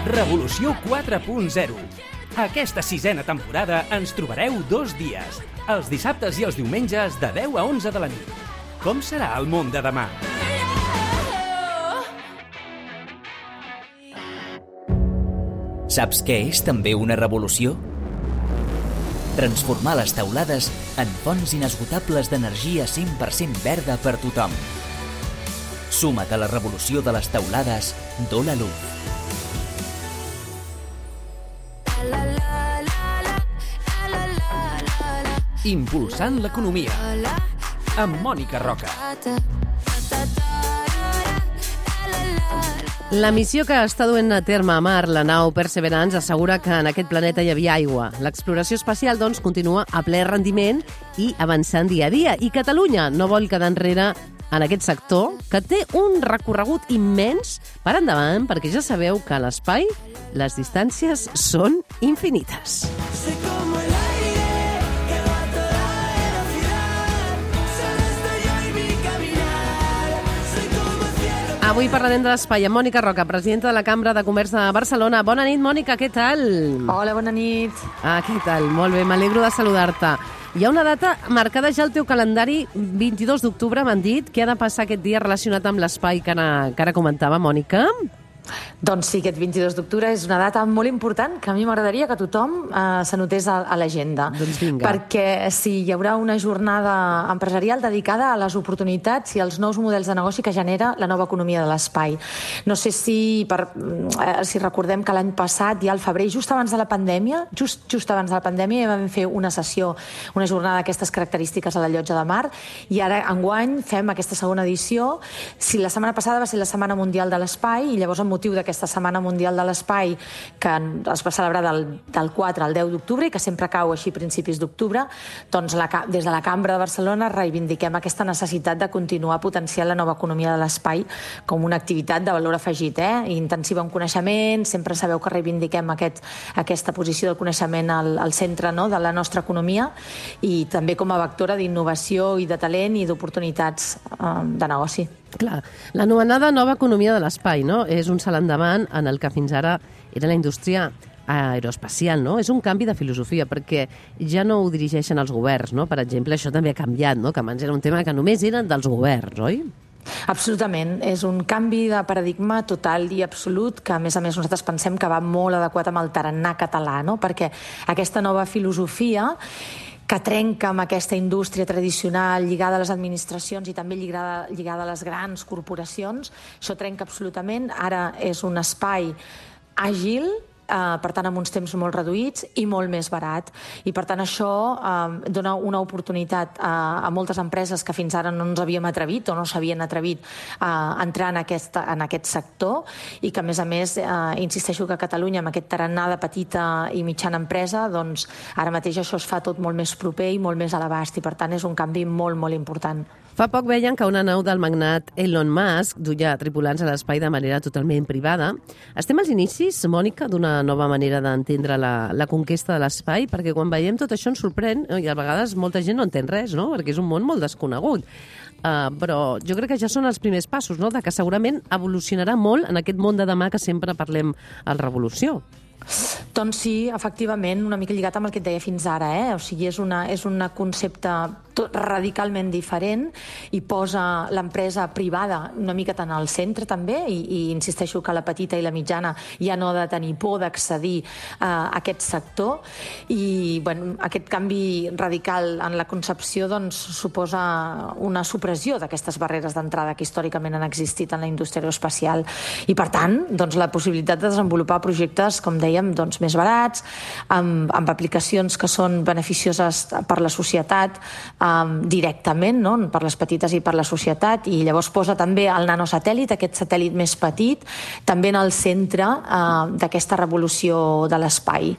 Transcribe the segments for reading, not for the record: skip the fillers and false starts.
Revolució 4.0. Aquesta 6a temporada ens trobareu 2 dies, els dissabtes i els diumenges de 10 a 11 de la nit. Com serà el món de demà? Saps què és també una revolució? Transformar les teulades en fonts inesgotables d'energia 100% verda per tothom. Suma't a la revolució de les teulades d'Ola Luz. Impulsant l'economia. Amb Mònica Roca. La missió que està duent a terme a Mar, la nau Perseverance, assegura que en aquest planeta hi havia aigua. L'exploració espacial, doncs, continua a ple rendiment i avançant dia a dia. I Catalunya no vol quedar enrere en aquest sector, que té un recorregut immens per endavant, perquè ja sabeu que a l'espai les distàncies són infinites. Avui parlarem de l'espai amb Mònica Roca, presidenta de la Cambra de Comerç de Barcelona. Bona nit, Mònica, què tal? Hola, bona nit. Què tal? Molt bé, m'alegro de saludar-te. Hi ha una data marcada ja al teu calendari, 22 d'octubre, m'han dit. Què ha de passar aquest dia relacionat amb l'espai que ara comentava, Mònica? Doncs sí, aquest 22 d'octubre és una data molt important que a mi m'agradaria que tothom s'anotés a l'agenda. Doncs vinga. Perquè sí, hi haurà una jornada empresarial dedicada a les oportunitats i als nous models de negoci que genera la nova economia de l'espai. No sé si recordem que l'any passat, ja al febrer, just abans de la pandèmia, just abans de la pandèmia, ja vam fer una sessió, una jornada d'aquestes característiques a la Llotja de Mar, i ara, enguany, fem aquesta segona edició. Si la setmana passada va ser la Setmana Mundial de l'Espai, i llavors amb motiu d'aquesta Setmana Mundial de l'Espai, que es va celebrar del 4 al 10 d'octubre i que sempre cau així a principis d'octubre, doncs des de la Cambra de Barcelona reivindiquem aquesta necessitat de continuar potenciant la nova economia de l'espai com una activitat de valor afegit, intensiva en coneixement. Sempre sabeu que reivindiquem aquesta posició del coneixement al centre, no?, de la nostra economia, i també com a vectora d'innovació i de talent i d'oportunitats de negoci. Clar, l'anomenada nova economia de l'espai, no?, és un salt endavant en el que fins ara era la indústria aeroespacial, no? És un canvi de filosofia, perquè ja no ho dirigeixen els governs, no? Per exemple, això també ha canviat, no?, que abans era un tema que només eren dels governs, oi? Absolutament, és un canvi de paradigma total i absolut que, a més nosaltres pensem que va molt adequat amb el tarannà català, no? Perquè aquesta nova filosofia que trenca amb aquesta indústria tradicional lligada a les administracions i també lligada a les grans corporacions, això trenca absolutament. Ara és un espai àgil, per tant amb uns temps molt reduïts i molt més barat, i per tant això dona una oportunitat a moltes empreses que fins ara no ens havíem atrevit o no s'havien atrevit a entrar en aquest sector, i que a més insisteixo que a Catalunya, amb aquest tarannà de petita i mitjana empresa, doncs ara mateix això es fa tot molt més proper i molt més a l'abast, i per tant és un canvi molt, molt important. Fa poc veien que una nau del magnat Elon Musk duia tripulants a l'espai de manera totalment privada. Estem als inicis, Mònica, d'una nova manera d'entendre la conquesta de l'espai, perquè quan veiem tot això ens sorprèn, i a vegades molta gent no entén res, no?, perquè és un món molt desconegut. Però jo crec que ja són els primers passos, no?, de que segurament evolucionarà molt en aquest món de demà que sempre parlem al Revolució. Doncs sí, efectivament, una mica lligat amb el que et deia fins ara, O sigui, és un concepte radicalment diferent i posa l'empresa privada una mica tant al centre també, i insisteixo que la petita i la mitjana ja no ha de tenir por d'accedir a aquest sector, i aquest canvi radical en la concepció doncs suposa una supressió d'aquestes barreres d'entrada que històricament han existit en la indústria aeroespacial, i per tant doncs la possibilitat de desenvolupar projectes, com dèiem, doncs més barats, amb aplicacions que són beneficioses per la societat directament, no?, per les petites i per la societat, i llavors posa també el nanosatèl·lit, aquest satèl·lit més petit, també en el centre d'aquesta revolució de l'espai.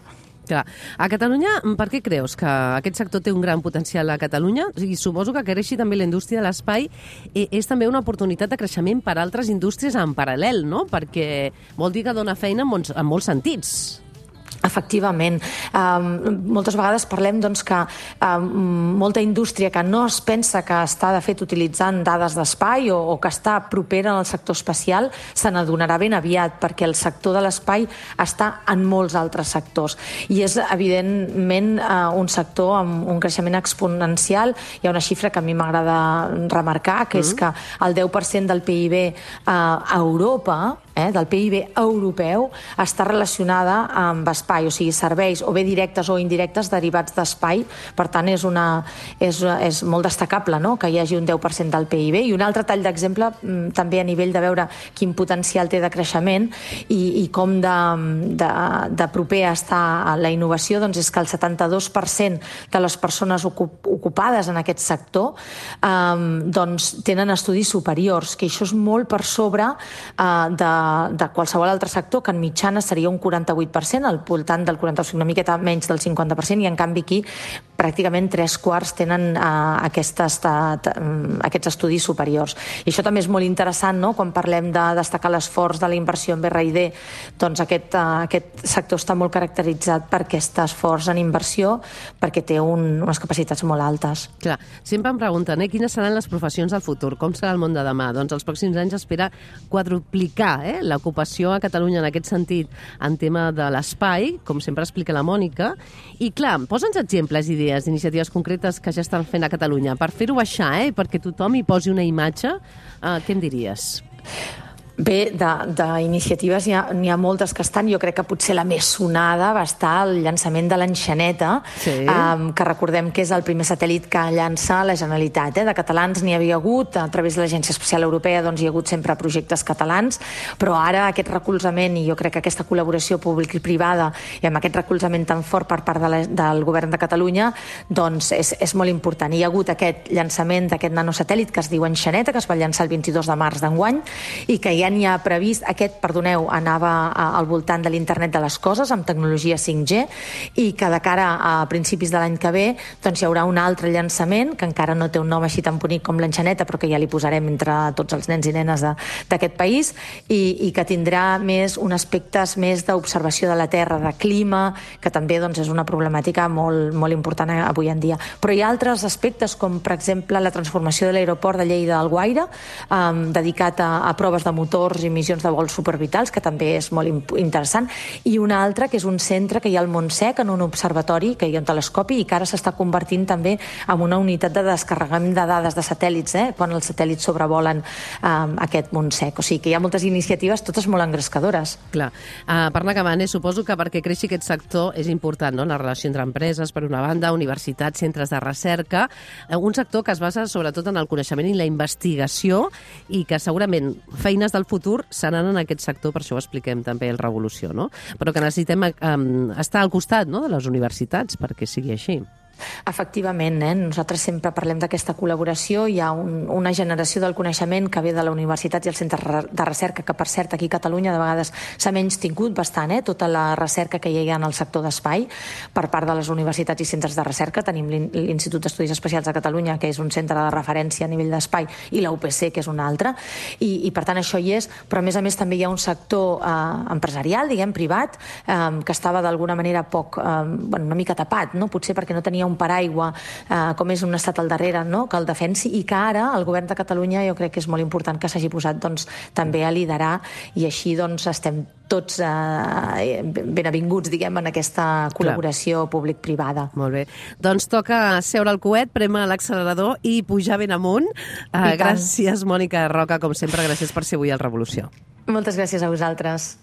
Clar. A Catalunya, per què creus que aquest sector té un gran potencial a Catalunya? I suposo que creixi també la indústria de l'espai és també una oportunitat de creixement per a altres indústries en paral·lel, no? Perquè vol dir que dona feina en molts sentits. Efectivament. Moltes vegades parlem que molta indústria que no es pensa que està de fet utilitzant dades d'espai o que està propera al sector espacial se n'adonarà ben aviat, perquè el sector de l'espai està en molts altres sectors i és evidentment un sector amb un creixement exponencial. Hi ha una xifra que a mi m'agrada remarcar, que és que el 10% del PIB a Europa, del PIB europeu, està relacionada amb espai, o sigui, serveis o bé directes o indirectes derivats d'espai. Per tant, és molt destacable, no?, que hi hagi un 10% del PIB. I un altre tall d'exemple, també a nivell de veure quin potencial té de creixement i com de proper està la innovació, doncs és que el 72% de les persones ocupades en aquest sector doncs tenen estudis superiors, que això és molt per sobre de qualsevol altre sector, que en mitjana seria un 48%, al voltant del 45%, una miqueta menys del 50%, i en canvi aquí pràcticament 3/4 tenen aquests estudis superiors. I això també és molt interessant, no?, quan parlem de destacar l'esforç de la inversió en BRD, doncs aquest sector està molt caracteritzat per aquest esforç en inversió, perquè té unes capacitats molt altes. Clar, sempre em pregunten, quines seran les professions del futur, com serà el món de demà? Doncs els pròxims anys espera quadruplicar l'ocupació a Catalunya en aquest sentit, en tema de l'espai, com sempre explica la Mònica, i clar, posa'ns exemples, idees, iniciatives concretes que ja estan fent a Catalunya, per fer-ho baixar, perquè tothom hi posi una imatge, què em diries? Bé, d'iniciatives n'hi ha moltes que estan. Jo crec que potser la més sonada va estar el llançament de l'Enxaneta, que recordem que és el primer satèl·lit que llança la Generalitat. De catalans n'hi havia hagut, a través de l'Agència Espacial Europea doncs hi ha hagut sempre projectes catalans, però ara aquest recolzament, i jo crec que aquesta col·laboració pública i privada, i amb aquest recolzament tan fort per part del Govern de Catalunya, doncs és molt important. Hi ha hagut aquest llançament d'aquest nanosatèl·lit que es diu Enxaneta, que es va llançar el 22 de març d'enguany, i que ja n'hi ha previst, anava al voltant de l'internet de les coses amb tecnologia 5G, i que de cara a principis de l'any que ve doncs hi haurà un altre llançament que encara no té un nom així tan bonic com l'Enxaneta, però que ja li posarem entre tots els nens i nenes d'aquest país, i que tindrà un aspectes més d'observació de la Terra, de clima, que també doncs, és una problemàtica molt, molt important avui en dia. Però hi ha altres aspectes, com per exemple la transformació de l'aeroport de Lleida al Guaire, dedicat a proves de motor i missions de vols supervitals, que també és molt interessant, i un altre que és un centre que hi ha al Montsec, en un observatori, que hi ha un telescopi, i que ara s'està convertint també en una unitat de descarregament de dades de satèl·lits, quan els satèl·lits sobrevolen aquest Montsec. O sigui que hi ha moltes iniciatives, totes molt engrescadores. Clar. Per anar acabant, suposo que perquè creixi aquest sector és important, no?, la relació entre empreses, per una banda, universitats, centres de recerca, un sector que es basa sobretot en el coneixement i la investigació, i que segurament feines del futur seran en aquest sector, per això ho expliquem també el Revolució, no? Però que necessitem estar al costat, no?, de les universitats perquè sigui així. Efectivament, nosaltres sempre parlem d'aquesta col·laboració. Hi ha una generació del coneixement que ve de la universitat i els centres de recerca, que per cert aquí a Catalunya de vegades s'ha menys tingut bastant, tota la recerca que hi ha en el sector d'espai per part de les universitats i centres de recerca. Tenim l'Institut d'Estudis Espacials de Catalunya, que és un centre de referència a nivell d'espai, i la UPC, que és un altre, i per tant això hi és, però a més també hi ha un sector empresarial, diguem, privat, que estava d'alguna manera una mica tapat, potser perquè no tenia un paraigua, com és un estat al darrere, que el defensi, i que ara el Govern de Catalunya jo crec que és molt important que s'hagi posat també a liderar, i així estem tots ben avinguts, diguem, en aquesta col·laboració públic-privada. Molt bé. Doncs toca seure al coet, prémer l'accelerador i pujar ben amunt. Gràcies, Mònica Roca, com sempre, gràcies per ser avui al Revolució. Moltes gràcies a vosaltres.